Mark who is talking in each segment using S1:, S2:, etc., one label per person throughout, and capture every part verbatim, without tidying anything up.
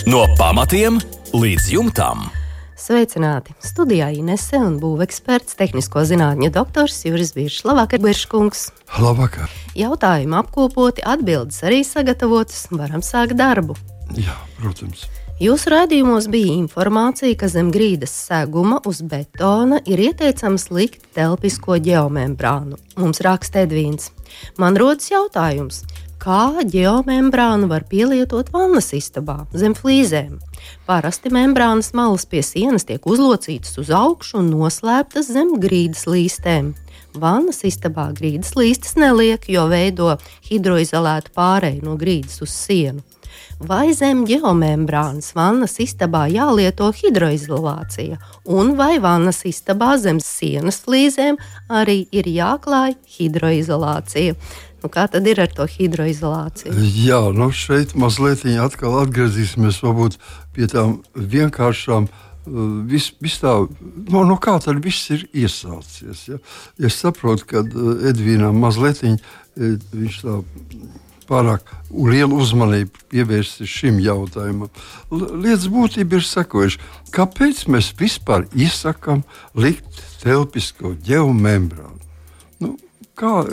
S1: No pamatiem līdz jumtam.
S2: Sveicināti! Studijā Inese un būveksperts, tehnisko zinātņu doktors Juris Biršs. Labvakar, Birškungs!
S3: Labvakar!
S2: Jautājumi apkopoti, atbildes arī sagatavotas, varam sākt darbu.
S3: Jā, protams.
S2: Jūsu raidījumos bija informācija, ka zem grīdas seguma uz betona ir ieteicams likt telpisko ģeomembrānu. Mums raksta Edvīns. Man rodas jautājums, kā ģeomembrānu var pielietot vannas istabā zem flīzēm? Parasti membrānas malas pie sienas tiek uzlocītas uz augšu un noslēptas zem grīdas līstēm. Vannas istabā grīdas līstes neliek, jo veido hidroizolētu pāreju no grīdas uz sienu. Vai zem ģeomembrānas vannas istabā jālieto hidroizolācija, un vai vannas istabā zem sienas flīzēm arī ir jāklāj hidroizolācija? Nu, kā tad ir ar to hidroizolāciju?
S3: Jā, nu šeit mazliet atkal atgriezīsimies varbūt pie tām vienkāršām. Vis, vis tā, no, no kā tad viss ir iesācies? Ja? Es saprotu, ka Edvīnam mazliet viņš tā pārāk lielu uzmanību pievērst šim jautājumam. Lietas būtība ir sekojuši. Kāpēc mēs vispār iesakām likt telpisko ģeomembrānu? Nu, kā,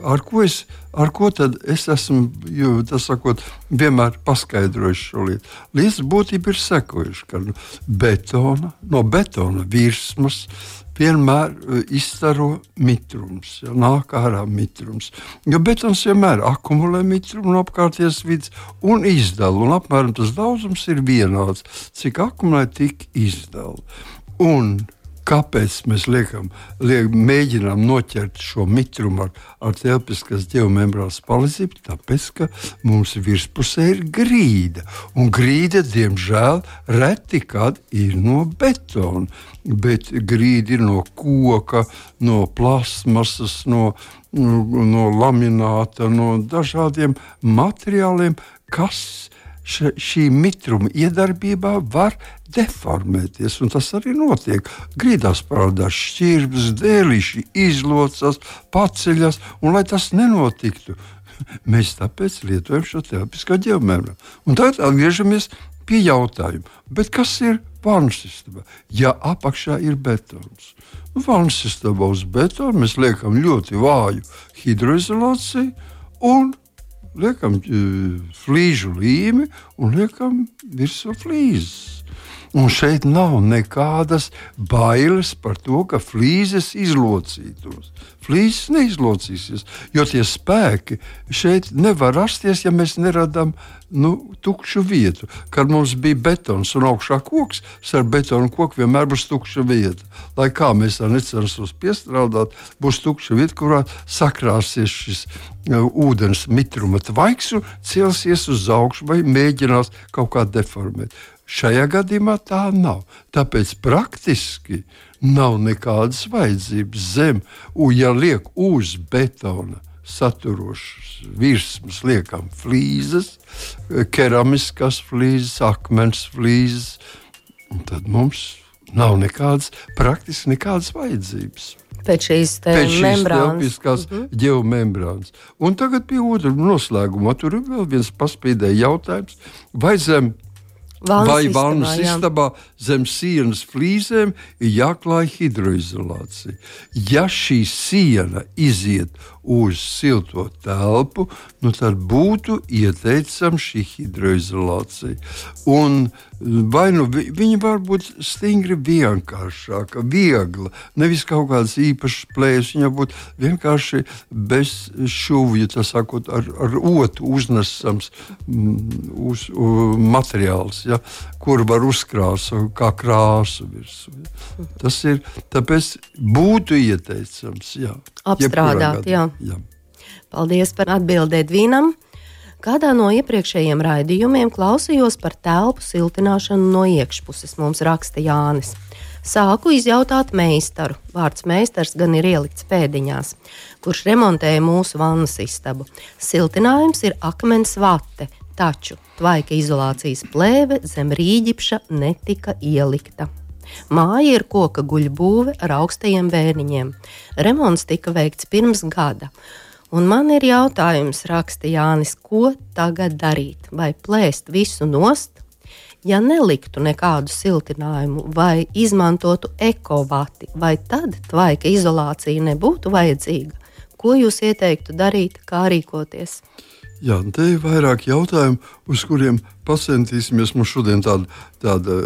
S3: ar ko es, ar ko tad es esmu, jo, tas sakot, vienmēr paskaidrojuši šo lietu. Lietas būtība ir sekojuši, ka betona, no betona virsmas vienmēr izstaro mitrums, ja, nāk ārā mitrums. Jo betons vienmēr akumulē mitrumu no apkārtējās vidas un izdala, un apmēram tas daudzums ir vienāds, cik akumulē, tik izdala. Un kāpēc mēs liekam, liek, mēģinām noķert šo mitrumu ar, ar telpiskas ģeomembrānas palīdzību? Tāpēc, ka mums virspusē ir grīda, un grīda, diemžēl, reti kad ir no betona. Bet grīdi ir no koka, no plasmasas, no, no lamināta, no dažādiem materiāliem, kas š, šī mitruma iedarbībā var deformēties. Un tas arī notiek. Grīdās parādās šķirbas, dēlīši izlocas, paceļas, un lai tas nenotiktu, mēs tāpēc lietojam šo telpisko ģeomembrānu. Un tagad atgriežamies pie jautājuma. Bet kas ir vannas istabā? Ja apakšā ir betons. Vannas istabā uz betona mēs liekam ļoti vāju hidroizolāciju un liekam uh, flīžu līmi un liekam virsū flīzes. Un šeit nav nekādas bailes par to, ka flīzes izlocītos. Flīzes neizlocīsies, jo tie spēki šeit nevar rasties, ja mēs neradām nu, tukšu vietu. Kad mums bija betons un augšā koks, ar betonu koku vienmēr būs tukša vieta. Lai kā mēs tā necensos piestrādāt, būs tukša vieta, kurā sakrāsies šis uh, ūdens mitruma tvaiks un celsies uz augšu vai mēģinās kaut kā deformēt. Šajā gadījumā tā nav. Tāpēc praktiski nav nekādas vajadzības zem, un ja liek uz betona saturošas virsmas, liekam flīzes, keramiskas flīzes, akmens flīzes, un tad mums nav nekādas, praktiski nekādas vajadzības.
S2: Pēc šīs membrānas.
S3: Uh-huh. Ģeomembrānas. Un tagad pie otra noslēguma. Tur ir vēl viens paspīdēja jautājums. Vai zem
S2: Vannas
S3: Vai
S2: istabā,
S3: vannas
S2: jā.
S3: istabā zem sienas flīzēm ir jāklāj hidroizolācija. Ja šī siena iziet uz silto telpu, nu tad būtu ieteicama šī hidroizolācija. Un vai nu vi, viņa var būt stingri vienkāršāka, viegla, nevis kaut kādas īpašas plējas, viņa būtu vienkārši bez šuvju, tas sakot, ar, ar otu uznesams mm, uz, uh, materiāls. Ja, kur var uzkrāsot kā krāsu virsū. Ja. Tas ir, tāpēc būtu ieteicams, jā.
S2: Apstrādāt, jā.
S3: jā.
S2: Paldies par atbildi Edvīnam. Kādā no iepriekšējiem raidījumiem klausījos par telpu siltināšanu no iekšpuses, mums raksta Jānis. Sāku izjautāt meistaru, vārds meistars gan ir ielikts pēdiņās, kurš remontēja mūsu vannas istabu. Siltinājums ir akmens vate, taču tvaika izolācijas plēve zem rīģipša netika ielikta. Māja ir koka guļbūve ar augstajiem bērniņiem. Remonts tika veikts pirms gada. Un man ir jautājums, raksta Jānis, ko tagad darīt? Vai plēst visu nost? Ja neliktu nekādu siltinājumu vai izmantotu ekovati, vai tad tvaika izolācija nebūtu vajadzīga? Ko jūs ieteiktu darīt, kā rīkoties?
S3: Jā, te ir vairāk jautājumu, uz kuriem pacentīsimies. Mums šodien tāda, tāda,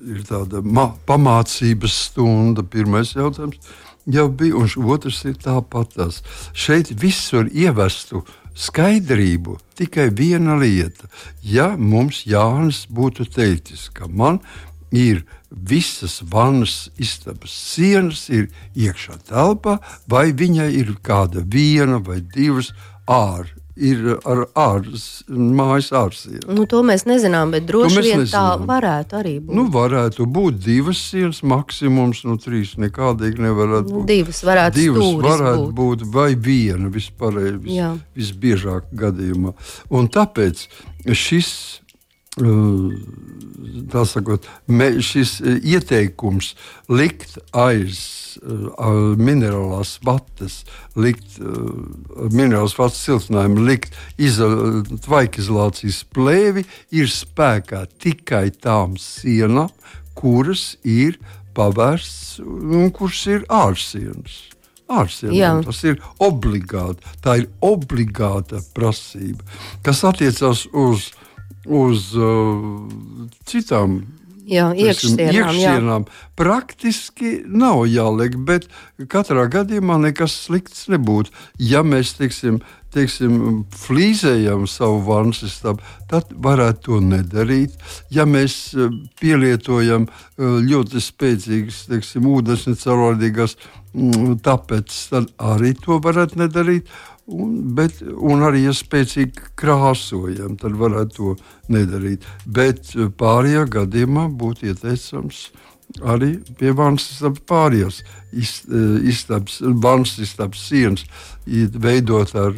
S3: ir tāda ma- pamācības stunda. Pirmais jautājums jau bija, un otrs ir tāpatās. Šeit visur ievestu skaidrību tikai viena lieta. Ja mums Jānis būtu teicis, ka man ir visas vannas istabas sienas, ir iekšā telpā, vai viņai ir kāda viena vai divas ār, ir ar ārs, mājas ārsienu.
S2: Nu, to mēs nezinām, bet droši vien tā
S3: nezinām.
S2: varētu arī būt.
S3: Nu, varētu būt divas sienas, maksimums, nu, trīs nekādīgi nevarētu
S2: Nu,
S3: būt.
S2: divas varētu
S3: Divas
S2: stūris
S3: varētu
S2: būt.
S3: būt, vai viena vispārēji, vis,
S2: Jā.
S3: visbiežāk gadījumā. Un tāpēc šis, uh, tā sakot, me, šis uh, ieteikums likt aiz uh, minerālās vatas, likt uh, minerālās vatas siltinājumu, likt izo- tvaikizolācijas plēvi ir spēkā tikai tām sienām, kuras ir pavērsts un kuras ir ārsienas. Ārsienām. Tas ir obligāti. Tā ir obligāta prasība, kas attiecās uz, uz uh, citām
S2: Jā, iekšsienām, jā.
S3: iekšsienām. Praktiski nav jāliek, bet katrā gadījumā nekas slikts nebūtu. Ja mēs, teiksim, teiksim, flīzējam savu vannas istabu, tad varētu to nedarīt. Ja mēs eh, pielietojam eh, ļoti spēcīgas, teiksim, ūdens necaurlaidīgās mm, tapetes, tad arī to varētu nedarīt. Un, bet, un arī, ja spēcīgi krāsojam, tad varētu to nedarīt. Bet pārējā gadījumā būtu ieteicams arī pie vannas istabas pārējās istabas, vannas istabas sienas veidot ar,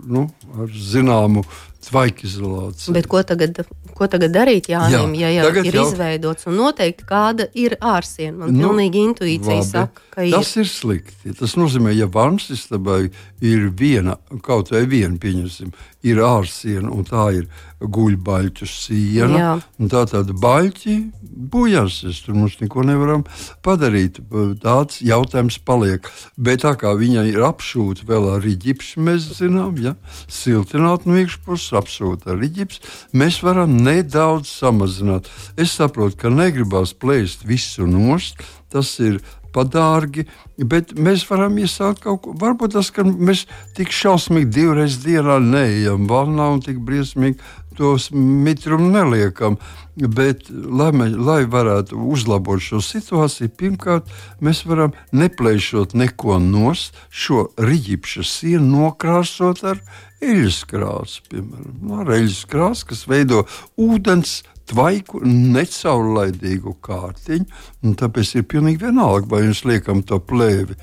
S3: nu, ar zināmu tvaikizolāciju.
S2: Bet ko tagad, ko tagad darīt, Jānim,
S3: Jā,
S2: ja jau
S3: tagad
S2: ir
S3: jau-
S2: izveidots un noteikti kāda ir ārsiena? Man
S3: Nu,
S2: pilnīgi intuīcija
S3: labi.
S2: saka, ka ir.
S3: Tas ir slikti. Tas nozīmē, ja vannas istabai ir viena, kaut vai viena, pieņemsim, ir ārsiena un tā ir guļbaļķu siena.
S2: Jā.
S3: Un tā tāda baļķi bojāsies, tur mums neko nevaram padarīt. Tāds jautājums paliek. Bet tā kā viņa ir apšūta vēl ar riģipsu, mēs zinām, ja, siltināt no iekšpuses, apšūta ar riģipsu, mēs varam nedaudz samazināt. Es saprotu, ka negribās plēst visu nost, tas ir padārgi, bet mēs varam iesākt kaut ko. Varbūt tas, ka mēs tik šausmīgi divreiz dienā neejam vannā un tik briesmīgi tos mitrumu neliekam. Bet, lai, mēs, lai varētu uzlabot šo situāciju, pirmkārt, mēs varam neplēšot neko nost, šo riģipšu sienu nokrāsot ar eļļas krāsu, piemēram. Ar eļļas krāsu, kas veido ūdens tvaiku, necaurlaidīgu kārtiņu, un tāpēc ir pilnīgi vienalga, vai mēs liekam to plēvi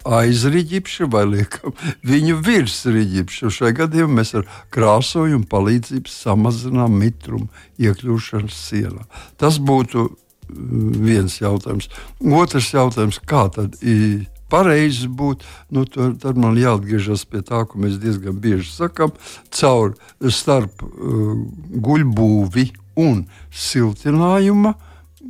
S3: aiz riģipša vai liekam viņu virs riģipša. Šajā gadījumā mēs ar krāsojumu palīdzību samazinām mitrumu iekļūšanu sienā. Tas būtu viens jautājums. Otrs jautājums, kā tad ir pareizi būt, nu, tad, tad man jāatgriežas pie tā, ko mēs diezgan bieži sakam, caur starp uh, guļbūvi un siltinājuma.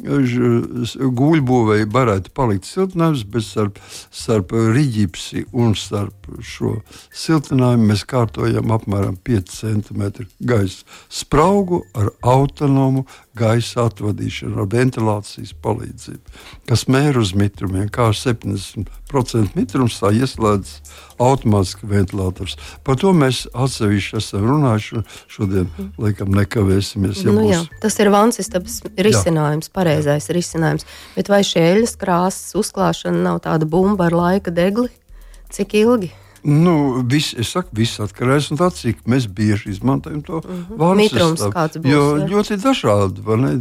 S3: Guļbūvēji varētu palikt siltinājums, bet starp, starp riģipsi un starp šo siltinājumu mēs kārtojam apmēram pieci centimetri gaisa spraugu ar autonomu gaisa atvadīšanu, ar ventilācijas palīdzību, kas mēr uz mitrumiem, kā septiņdesmit procenti mitrums, tā ieslēdz automātiski ventilators. Par to mēs atsevišķi esam runājuši, šodien laikam nekavēsimies. Ja
S2: Nu,
S3: būs...
S2: jā, tas ir vannas istabas risinājums, pareizais risinājums. Bet vai šī eļļas krāsas uzklāšana nav tāda bumba ar laika degli? Cik ilgi?
S3: Nu, vis, es saku, viss atkarīgs no tā, cik mēs bieži izmantojam to
S2: Mhm.
S3: vannas
S2: Mitrums
S3: istabu.
S2: kāds būs,
S3: Jo
S2: jā.
S3: ļoti dažādi, vai ne?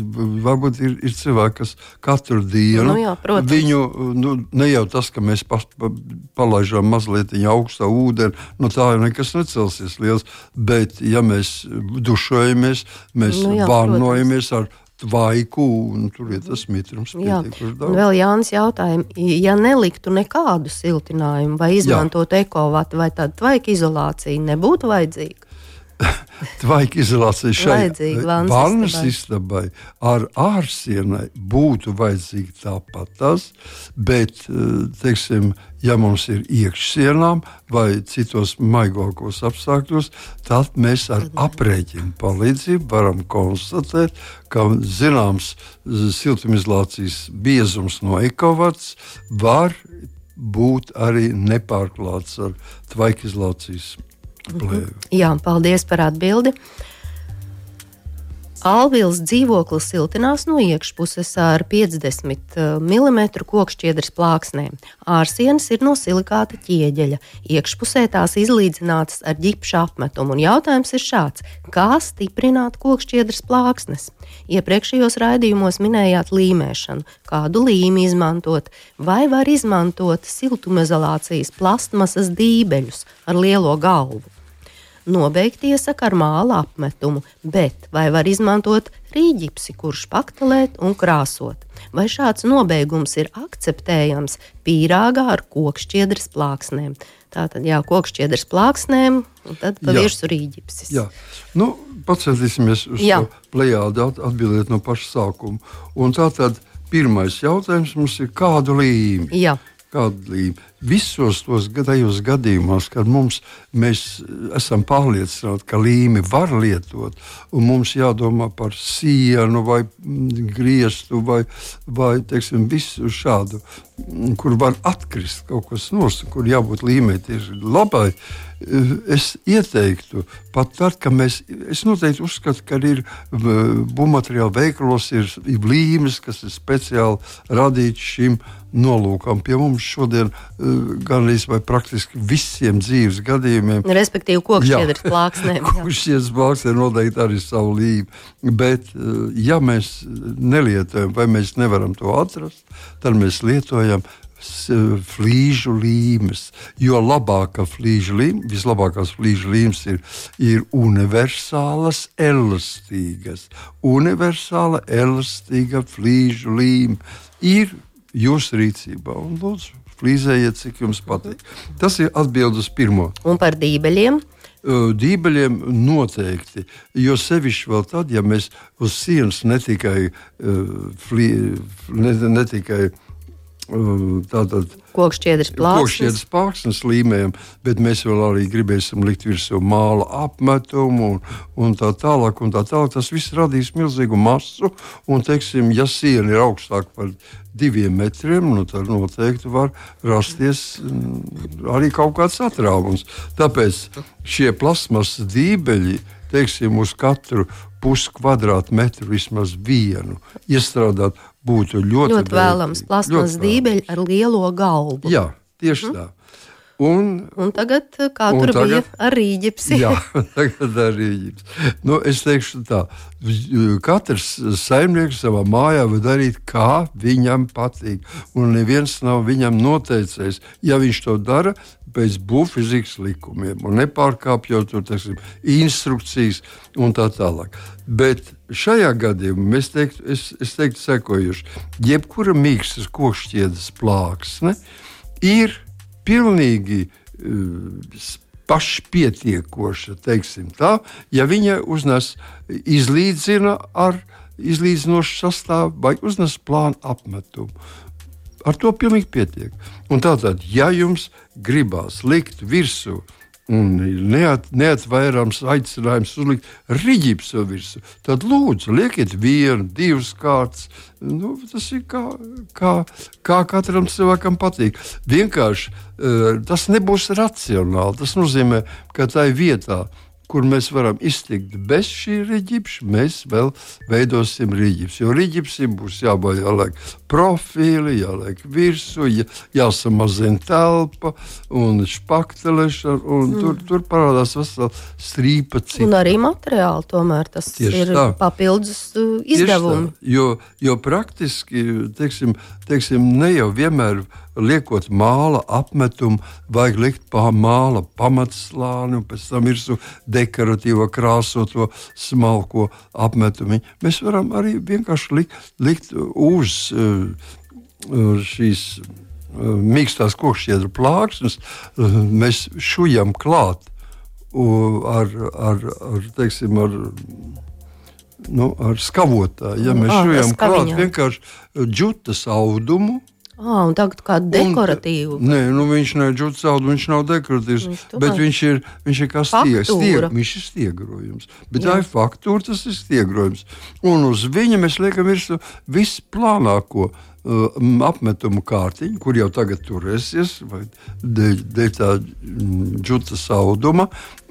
S3: Varbūt ir, ir cilvēki, kas katru dienu
S2: Nu jā, protams.
S3: viņu, nu, ne jau tas, ka mēs pas, pa, palaižām mazliet augstā ūdeni, no tā jau nekas necelsies liels, bet ja mēs dušojamies, mēs
S2: Nu jā,
S3: vānojamies ar tvaiku, un tur ir tas mitrums
S2: Jā,
S3: pietiekuši
S2: un
S3: daudz.
S2: vēl Jānis jautājumu, ja neliktu nekādu siltinājumu vai izmantotu ekovatu vai tādu tvaika izolāciju, nebūtu vajadzīga?
S3: tvaika izolācija šai
S2: Vajadzīga
S3: vannas istabai ar ārsienai būtu vajadzīga tāpat tas, bet, teiksim, ja mums ir iekšsienām vai citos maigākos apstākļos, tad mēs ar aprēķinu palīdzību varam konstatēt, ka zināms siltumizolācijas biezums no ekovats var būt arī nepārklāts ar tvaikizolācijas plēvi.
S2: Jā, paldies par atbildi. Alvils dzīvoklis siltinās no iekšpuses ar piecdesmit milimetru kokšķiedras plāksnēm. Ārsienas ir no silikāta ķieģeļa. Iekšpusē tās izlīdzinātas ar ģipša apmetumu. Un jautājums ir šāds: kā stiprināt kokšķiedras plāksnes? Iepriekšējos raidījumos minējāt līmēšanu. Kādu līmi izmantot? Vai var izmantot siltumizolācijas plastmasas dībeļus ar lielo galvu? Nobeigt iesaka ar māla apmetumu, bet vai var izmantot rīģipsi, kurš paktelēt un krāsot? Vai šāds nobeigums ir akceptējams pīrāgā ar kokšķiedras plāksnēm? Tātad, jā, kokšķiedras plāksnēm, un tad pa virsmu rīģipsis.
S3: Jā, nu, pacentīsimies uz jā. to plejādu atbildēt no paša sākuma. Un tātad pirmais jautājums mums ir, kādu līmi?
S2: Jā.
S3: Kādu līmi? Visos tos gadījumos, gadījumos, kad mums, mēs esam pārliecināti, ka līmi var lietot, un mums jādomā par sienu vai griestu vai, vai teiksim, visu šādu, kur var atkrist kaut kas nost, kur jābūt līmei tieši labai, es ieteiktu, pat tad, ka mēs, es noteikti uzskatu, ka ir būvmateriālu veikalos ir līmes, kas ir speciāli radīts šim nolūkam. Pie mums šodien gan arī vai praktiski visiem dzīves gadījumiem.
S2: Respektīvi, kokšķiedras plāksnēm.
S3: Kokšķiedras plāksnēm noteikti arī savu līmi. Bet, ja mēs nelietojam, vai mēs nevaram to atrast, tad mēs lietojam flīžu līmes. Jo labākā flīžu līme, vislabākās flīžu līmes ir, ir universālas, elastīgas. Universāla, elastīga flīžu līme ir jūsu rīcībā. Un lūdzu, flīzējiet, cik jums patīk. Tas ir atbild uz pirmo.
S2: Un par dībeļiem?
S3: Dībeļiem noteikti, jo sevišķi vēl tad, ja mēs uz sienas ne tikai, flī, ne, ne tikai tātad
S2: kokšķiedras plāksnes.
S3: kokšķiedras plāksnes līmējam, bet mēs vēl arī gribēsim likt virsū māla apmetumu un, un tā tālāk un tā tālāk. Tas viss radīs milzīgu masu un, teiksim, ja siena ir augstāk par diviem metriem, nu tad noteikti var rasties arī kaut kāds atrāvums. Tāpēc šie plasmasas dībeļi, teiksim, uz katru puskvadrātmetru vismaz vienu iestrādāt būtu ļoti,
S2: ļoti vēlams. Plasmas dībeļi ar lielo galvu.
S3: Jā, tieši mm. tā. Un,
S2: un tagad, kā un tur tagad, bija ar rīģipsi?
S3: Jā, tagad ar rīģipsi. Nu, es teikšu tā, katrs saimnieks savā mājā var darīt, kā viņam patīk. Un neviens nav viņam noteicējis, ja viņš to dara pēc būvfizikas likumiem un nepārkāpjot tur, teiksim, instrukcijas un tā tālāk. Bet šajā gadījumā es teiktu, es, es teiktu sekojuši, jebkura mīkstas kokšķiedras plāksne ir pilnīgi uh, pašpietiekoša, teiksim tā, ja viņa uznes izlīdzina ar izlīdzinošu sastāvu vai uznes plānu apmetumu. Ar to pilnīgi pietiek. Un tātad, ja jums gribās likt virsū un neat, neatvairāms aicinājums uzlikt riģipsu virsū, tad lūdzu, liekiet vienu, divas kārtas. Nu, tas ir kā, kā, kā katram cilvēkam patīk. Vienkārši tas nebūs racionāli. Tas nozīmē, ka tai vietā, kur mēs varam iztikt bez šī riģipša, mēs vēl veidosim riģipsu. Jo riģipsim būs jābūt jāliek profili, jāliek virsū, jā, jāsamazina telpa un špaktelešana, un mm. tur, tur parādās vesela strīpa cita.
S2: Un arī materiāli tomēr tas Tieši ir tā. Papildus izdevumi.
S3: Jo, jo praktiski, teiksim, teiksim, ne jau vienmēr liekot māla apmetumu, vajag likt pā māla pamatslāni un pēc tam virsū dekoratīvo krāsoto smalko apmetumu. Mēs varam arī vienkārši likt, likt uz uh, šīs uh, mīkstās kokšķiedru plāksnes, uh, mēs šujam klāt ar, ar, ar, teiksim, ar, nu, ar skavotāju. Ja mēs šujam klāt vienkārši džutas audumu.
S2: Ah, un tagad kādu dekoratīvu?
S3: Un, nē, nu viņš nav džutas audumu, viņš nav dekoratīvs, viņš bet viņš ir, viņš ir kā stieg, stieg, viņš ir stiegrojums. Bet Jā. tā ir faktūra, tas ir stiegrojums. Un uz viņa mēs liekam virsū visplānāko uh, apmetumu kārtiņu, kur jau tagad turēsies, vai dēļ, dēļ tā džutas auduma,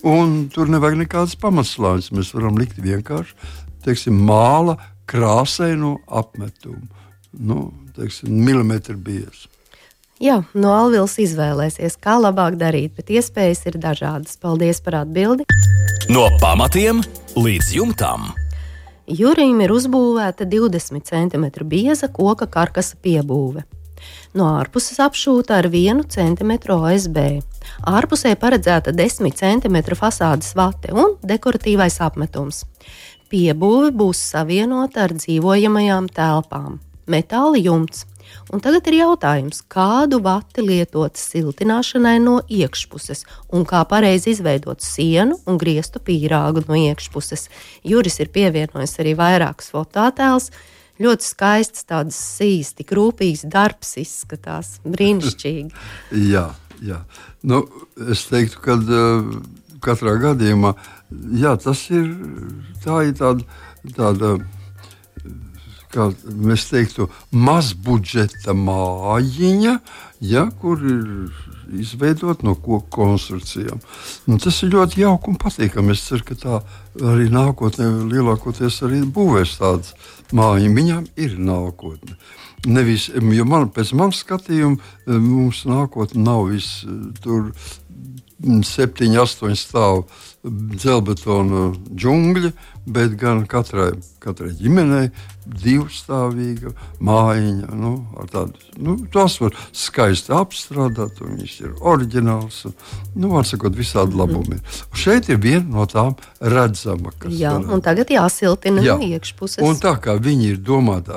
S3: un tur nevajag nekādas pamatslāņas. Mēs varam likt vienkārši, teiksim, māla krāsaino apmetumu. Nu, teiksim, milimetru biezi.
S2: Jā, no Alvils izvēlēsies, kā labāk darīt, bet iespējas ir dažādas. Paldies par atbildi.
S1: No pamatiem līdz jumtam.
S2: Jurim ir uzbūvēta divdesmit centimetru bieza koka karkasa piebūve. No ārpuses apšūta ar vienu centimetru O S B. Ārpusē paredzēta desmit centimetru fasādes vate un dekoratīvais apmetums. Piebūve būs savienota ar dzīvojamajām telpām. Metāla jumts. Un tagad ir jautājums, kādu vati lietot siltināšanai no iekšpuses un kā pareizi izveidot sienu un griestu pīrāgu no iekšpuses. Juris ir pievienojis arī vairākus fototēlus. Ļoti skaists, tāds sīs, tik rūpīgs darbs izskatās. Brīnišķīgi.
S3: jā, jā. Nu, es teiktu, ka uh, katrā gadījumā, jā, tas ir, tā ir tāda, tāda kā mēs teiktu, mazbudžeta mājiņa, ja, kur ir izveidot no koku konstrukcijām. Un tas ir ļoti jauki un patīkami. Es ceru, ka tā arī nākotnē lielākoties arī būvēs tādas mājiņas. Viņām ir nākotne. Nevis, jo man, pēc manas skatījuma mums nākotne nav viss tur septiņi, astoņi stāvu dzelbetona džungļi, bet gan katrai, katrai ģimenei divstāvīga mājiņa. Nu, tādu, nu, tos var skaisti apstrādāt, un viņš ir oriģināls. Un, nu, var sakot, visādi labumi. Un šeit ir viena no tām redzama.
S2: Jā, var, un tagad jāsiltina jā. no iekšpuses.
S3: Un tā kā viņi ir domāti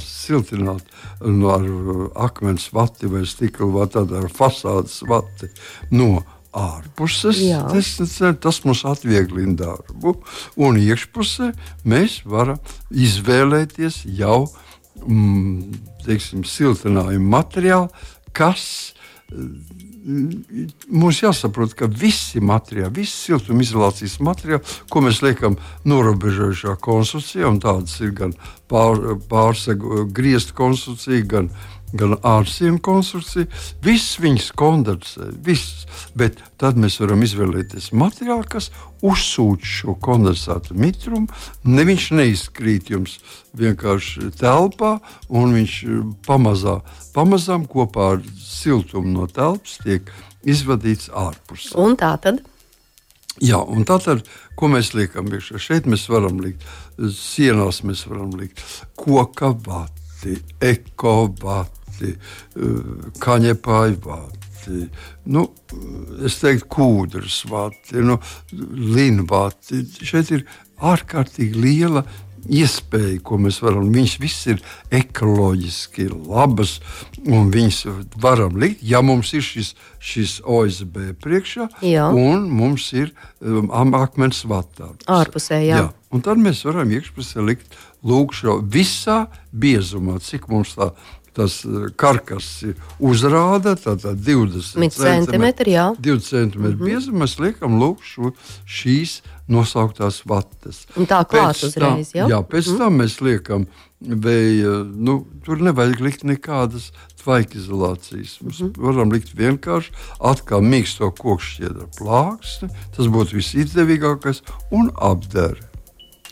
S3: siltināt no ar akmens vati vai stikla vati, ar fasādes vati no ārpuses, tas, tas mums atvieglina darbu. Un iekšpusē mēs varam izvēlēties jau mm, teiksim, siltinājumu materiālu, kas mums jāsaprot, ka visi materiāli, visi siltumizolācijas materiāli, ko mēs liekam norobežojušā konstrukcijā, un tādas ir gan pār, pārsegu griestu konstrukcija, gan gan ārsienu konstrukcija, viss viņas kondensē, viss. Bet tad mēs varam izvēlēties materiālu, kas uzsūc šo kondensātu mitrumu. Ne, viņš neizkrīt jums vienkārši telpā, un viņš pamazā, pamazām kopā ar siltumu no telpas tiek izvadīts ārpus.
S2: Un tā tad?
S3: Jā, un tātad, ko mēs liekam iekšā? Šeit mēs varam likt, sienās mēs varam likt koka vati, eko vati, kaņepāju vati, nu, es teiktu, kūdras vati, nu, linu vati. Šeit ir ārkārtīgi liela iespēja, ko mēs varam. Viņas viss ir ekoloģiski labas, un viņas varam likt, ja mums ir šis, šis O S B priekšā, jā. Un mums ir um, akmens vatā.
S2: Ārpusē, jā. jā.
S3: Un tad mēs varam iekšpusē likt lūk šo visā biezumā, cik mums tā tas karkas ir uzrāda, tātad divdesmit centimetri, divdesmit centimetri mm-hmm. biezuma, mēs liekam lūk šo, šīs nosauktās vatas.
S2: Un tā klāt uzreiz, jā?
S3: Jā, pēc mm-hmm. tam mēs liekam vēja, nu, tur nevajag likt nekādas tvaikizolācijas. Mēs mm-hmm. varam likt vienkārši atkal mīksto kokšķiedra plāksni, tas būtu visizdevīgākais, un apdari.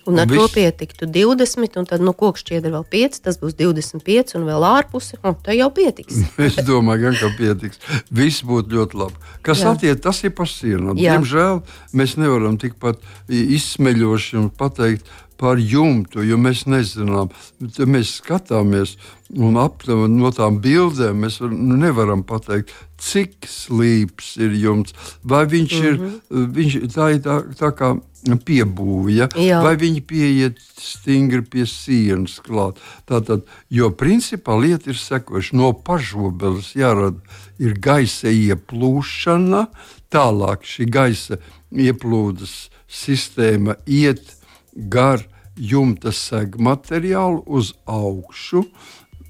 S2: Un ar to pietiktu divdesmit, un tad no kokšķiedra vēl pieci, tas būs divdesmit pieci, un vēl ārpusi, un tā jau pietiks.
S3: Es domāju, gan, ka pietiks. Viss būtu ļoti labi. Kas Jā. attiec, tas ir par sienām. Diemžēl mēs nevaram tikpat izsmeļoši un pateikt par jumtu, jo mēs nezinām. Mēs skatāmies un aptām no tām bildēm mēs var, nu, nevaram pateikt, cik slīps ir jumts, vai viņš mm-hmm. ir, viņš, tā ir tā, tā kā piebūja, Jā. vai viņi pieiet stingri pie sienas klāt. Tātad, jo principā lieta ir sekoša. No pažobeles jārada ir gaisa ieplūšana, tālāk šī gaisa ieplūdes sistēma iet gar jumta segmateriālu uz augšu,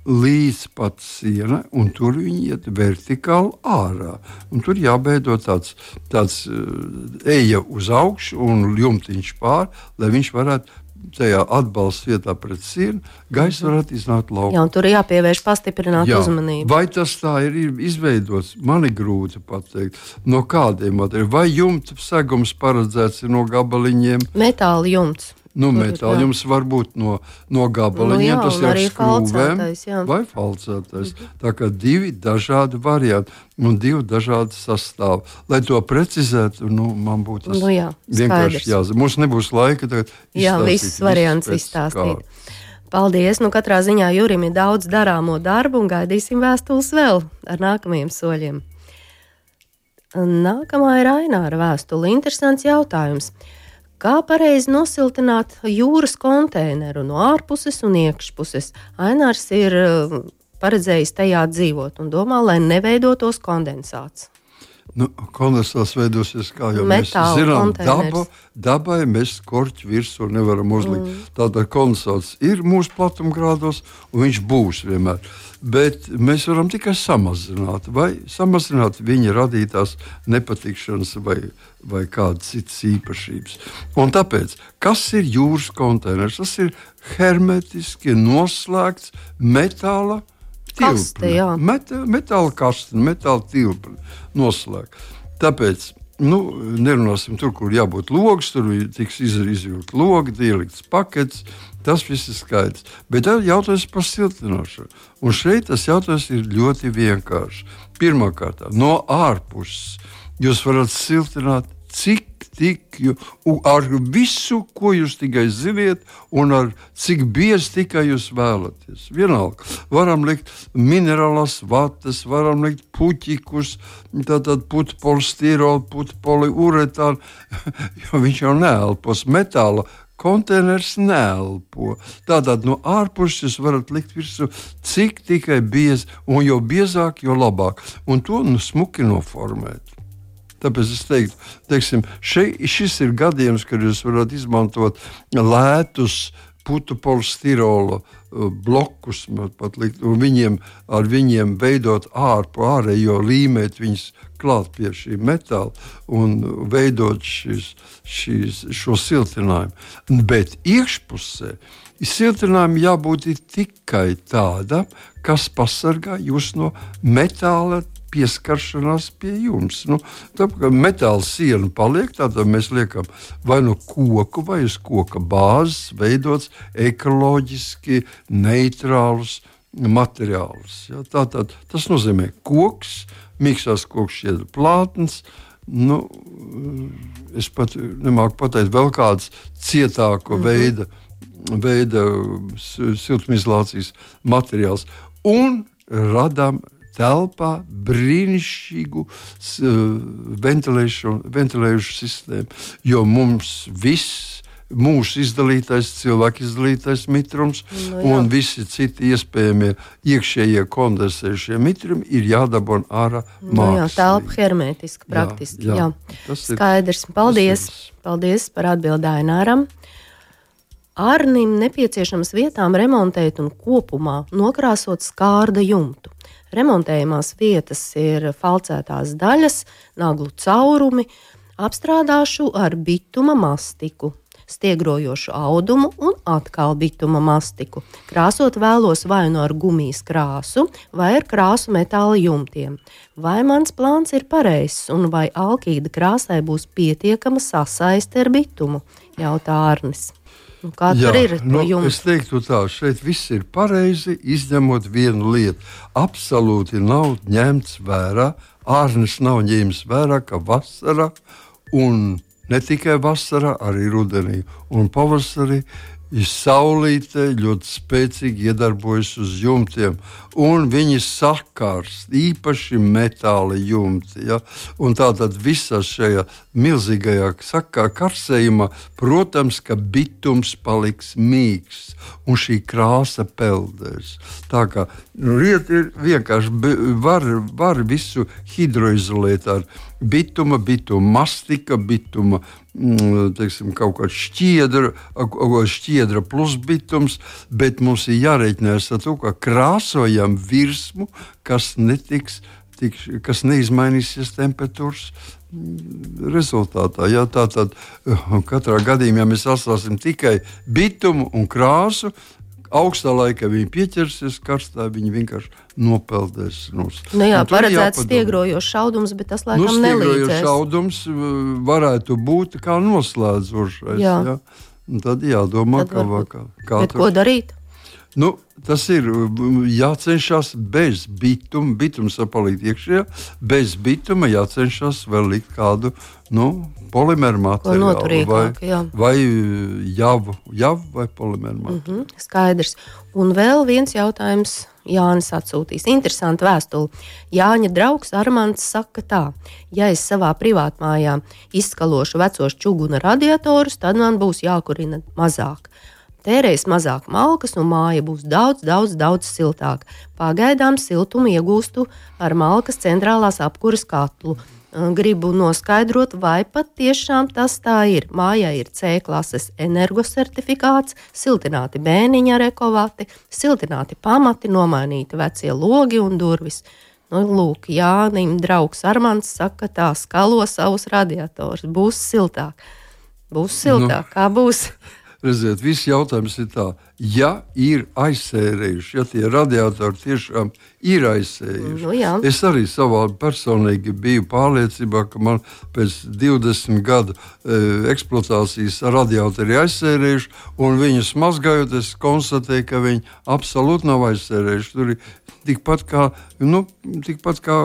S3: līdz pat siena, un tur viņi iet vertikāli ārā. Un tur jābeido tāds, tāds eja uz augšu un jumtiņš pār, lai viņš varētu tajā atbalsta vietā pret sienu, gaisa varētu iznākt laukā.
S2: Jā, un tur jāpievērš pastiprināta uzmanība.
S3: Vai tas tā ir izveidots? Man ir grūti pateikt. No kādiem materiāliem? Vai jumta segums paredzēts ir no gabaliņiem?
S2: Metāla jumts.
S3: Nu, metāla jums var būt no, no gabaliņiem, nu, jā, tas ir skrūvēm vai falcētais. Tā kā divi dažādi varianti un divi dažādi sastāvi. Lai to precizētu, nu, man būtu tas
S2: nu, jā,
S3: vienkārši jāzina. Mums nebūs laika tagad izstāstīt.
S2: Jā, visus variants izstāstīt. Paldies! Nu, katrā ziņā Jurim ir daudz darāmo darbu un gaidīsim vēstules vēl ar nākamajiem soļiem. Nākamā ir Aināra vēstule. Interesants jautājums. Kā pareizi nosiltināt jūras konteineru no ārpuses un iekšpuses? Ainārs ir paredzējis tajā dzīvot un domā, lai neveidotos kondensāts.
S3: Nu, kondensāts veidosies, kā jau
S2: Metāla
S3: mēs zinām, daba, dabai mēs korķi virsū nevaram uzlikt. Mm. Tātad kondensāts ir mūsu platumgrādos un viņš būs vienmēr. Bet mēs varam tikai samazināt vai samazināt viņa radītās nepatikšanas vai, vai kādas citas īpašības. Un tāpēc, kas ir jūras konteiners? Tas ir hermetiski noslēgts metāla
S2: kaste,
S3: Met, metāla kaste, metāla tilpne noslēgta. Tāpēc, nu, nerunāsim tur, kur jābūt logs, tur tiks izvilkt logi, ielikts pakets. Tas viss ir skaidrs. Bet tad jautājums par siltināšanu. Un šeit tas jautājums ir ļoti vienkāršs. Pirmkārt, no ārpuses jūs varat siltināt cik tik, ar visu, ko jūs tikai ziniet, un ar cik biezi tikai jūs vēlaties. Vienalga, varam likt minerālās vatas, varam likt puķikus, tātad putpolstirolu, putpoliuretānu, jo viņš jau neelpos metāla. Konteiners neelpo. Tātad no ārpuses jūs varat likt virsū cik tikai biezi, un jo biezāk, jo labāk. Un to nu smuki noformēt. Tāpēc es teiktu, teiksim, šeit, šis ir gadījums, kad jūs varat izmantot lētus putu polstirola blokus, pat likt, un viņiem, ar viņiem veidot ārpu ārējo, līmēt viņus klāt pie šī metāla un veidot šis, šis, šo siltinājumu. Bet iekšpusē siltinājumi jābūt tikai tādam, kas pasargā jūs no metāla pieskaršanās pie jums. Nu, tāpēc metāla siena paliek, tātad mēs liekam vai no koku, vai uz koka bāzes veidots ekoloģiski neitrālus materiālus. Ja? Tātad tas nozīmē koks, miksās koks šķiedra plātnes, nu, es pat nemāku pateikt vēl kāds cietāko mm-hmm. veida, veida siltumizolācijas materiāls. Un radām telpā brīnišķīgu ventilējušu sistēmu, jo mums viss, mūsu izdalītais, cilvēku izdalītais mitrums no, un visi citi iespējamie iekšējie kondensējušie mitrumi ir jādabon ārā mākslīgi.
S2: No, jā, telpa hermētiski, praktiski. Jā, jā. Jā. Skaidrs. Paldies. Paldies par atbildi Aināram. Arnim nepieciešams vietām remontēt un kopumā nokrāsot skārda jumtu. Remontējumās vietas ir falcētās daļas, naglu caurumi, apstrādāšu ar bituma mastiku, stiegrojošu audumu un atkal bituma mastiku. Krāsot vēlos vai nu ar gumijas krāsu, vai ar krāsu metāla jumtiem. Vai mans plāns ir pareizs un vai alkīda krāsai būs pietiekama sasaiste ar bitumu? Jautā Arnis. Nu, kā
S3: Jā,
S2: tur ir
S3: nu,
S2: no jums?
S3: Es teiktu tā, šeit viss ir pareizi, izņemot vienu lietu. Absolūti nav ņemts vērā, Ārnis nav ņēmis vērā, ka vasarā, un ne tikai vasarā, arī rudenī un pavasarī, ir saulīte ļoti spēcīgi iedarbojas uz jumtiem, un viņi sakārs, īpaši metāla jumti. Ja? Un tātad visā šajā milzīgajā sakā karsējumā, protams, ka bitums paliks mīksts, un šī krāsa peldēs. Tā kā nu, lieta ir vienkārši, var, var visu hidroizolēt ar bituma, bituma mastika, bituma teiksim, kaut kāda šķiedra, šķiedra plus bitums, bet mums ir jārēķinās ar to, ka krāsojam virsmu, kas netiks, tik, kas neizmainīsies temperatūras rezultātā. Ja, tātad katrā gadījumā, ja mēs atstāsim tikai bitumu un krāsu, augstā laikā viņi pieķersies, karstā viņi vienkārši nopeldēs. Nos.
S2: Nu jā, paredzēts stiegrojošs šaudums, bet tas laikam
S3: nu,
S2: nelīdzēs.
S3: Stiegrojošs šaudums varētu būt kā noslēdzošais. Jā. Ja? Un tad jādomā,
S2: tad
S3: kā, kā, kā
S2: bet tur. Ko darīt?
S3: Nu, tas ir jācenšas bez bituma, bitums var palikt iekšējā, bez bituma jācenšas vēl likt kādu nu, polimeru materiālu vai, vai javu, javu vai polimeru materiālu.
S2: Mm-hmm, skaidrs. Un vēl viens jautājums Jānis atsūtīs. Interesanti vēstuli. Jāņa draugs Armands saka tā, ja es savā privātmājā izskalošu vecos čuguna radiatorus, tad man būs jākurina mazāk. Tērēs mazāk malkas un māja būs daudz, daudz, daudz siltāka. Pagaidām siltumu iegūstu ar malkas centrālās apkuras katlu. Gribu noskaidrot, vai pat tiešām tas tā ir. Mājā ir C klases energosertifikāts, siltināti bēniņi ar ekovati, siltināti pamati, nomainīti vecie logi un durvis. Nu, lūk, Jānim draugs Armands saka, tā skalo savus radiatorus. Būs siltāk. Būs siltāk. Nu. Kā būs?
S3: Redziet, viss jautājums ir tā, ja ir aizsērējuši, ja tie radiatori tiešām ir aizsējuši.
S2: Nu, jā.
S3: Es arī savā personīgi biju pārliecībā, ka man pēc divdesmit gadu e, eksploatācijas radiatori ir aizsērējuši, un viņus mazgājot, es konstatēju, ka viņi absolūti nav aizsērējuši. Tur ir tikpat kā, nu, tikpat kā,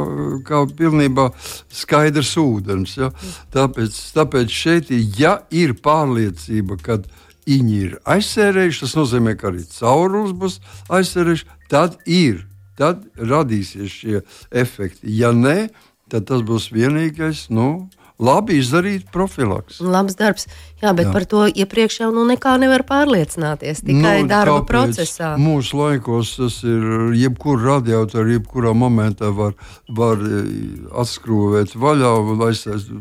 S3: kā pilnībā skaidrs ūdens. Ja? Tāpēc, tāpēc šeit, ja ir pārliecība, kad viņi ir aizsērējuši, tas nozīmē, ka arī caurules būs aizsērējuši, tad ir, tad radīsies šie efekti. Ja nē, tad tas būs vienīgais, nu, labi izdarīt profilaks.
S2: Labs darbs, jā, bet jā. Par to iepriekš jau nu nekā nevar pārliecināties, tikai nu, darba procesā.
S3: Mūsu laikos tas ir, jebkuru radiatoru, jebkurā momentā var, var atskrūvēt vaļā, aizsēst,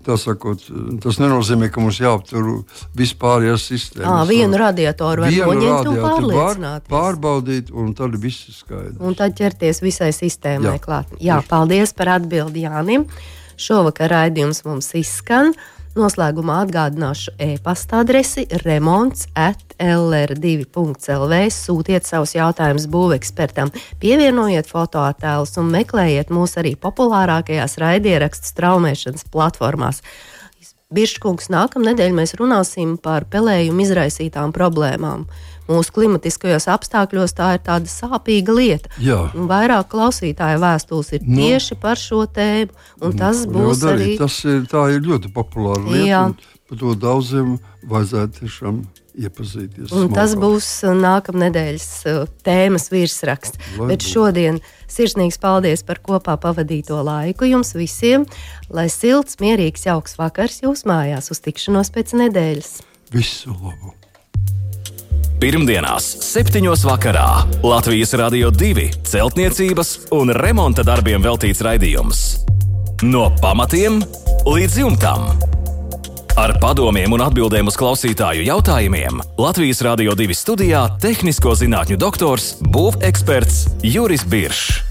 S3: tā sakot, tas nenozīmē, ka mums jāaptur vispārējās sistēmas.
S2: Ā, vienu radiatoru var noņemt un pārliecināties.
S3: Pārbaudīt, un tad viss ir skaidrs.
S2: Un tad ķerties visai sistēmai
S3: jā.
S2: Klāt. Jā, paldies par atbildi Jānim. Šovakar raidījums mums izskan. Noslēgumā atgādināšu e-pasta adresi remonts at l r divi punkts l v. Sūtiet savus jautājumus būvekspertam, pievienojiet fotoattēlus un meklējiet mūs arī populārākajās raidierakstu straumēšanas platformās. Birškungs, nākamnedēļ mēs runāsim par pelējumu izraisītām problēmām. Mūsu klimatiskajos apstākļos tā ir tāda sāpīga lieta.
S3: Jā.
S2: Un vairāk klausītāju vēstules ir no. tieši par šo tēmu. Un tas no, būs arī...
S3: Tas ir, tā ir ļoti populāra lieta. Jā. Par to daudziem vajadzētu tiešām iepazīties.
S2: Un tas būs nākamnedēļas tēmas virsraksts. Lai Bet būs. Šodien sirsnīgs paldies par kopā pavadīto laiku jums visiem. Lai silts, mierīgs, jauks vakars jūs mājās. Uz tikšanos pēc nedēļas.
S3: Visu labu!
S1: Pirmdienās, septiņos vakarā Latvijas Radio divi celtniecības un remonta darbiem veltīts raidījums. No pamatiem līdz jumtam. Ar padomiem un atbildēm uz klausītāju jautājumiem Latvijas Radio divi studijā tehnisko zinātņu doktors, būveksperts Juris Biršs.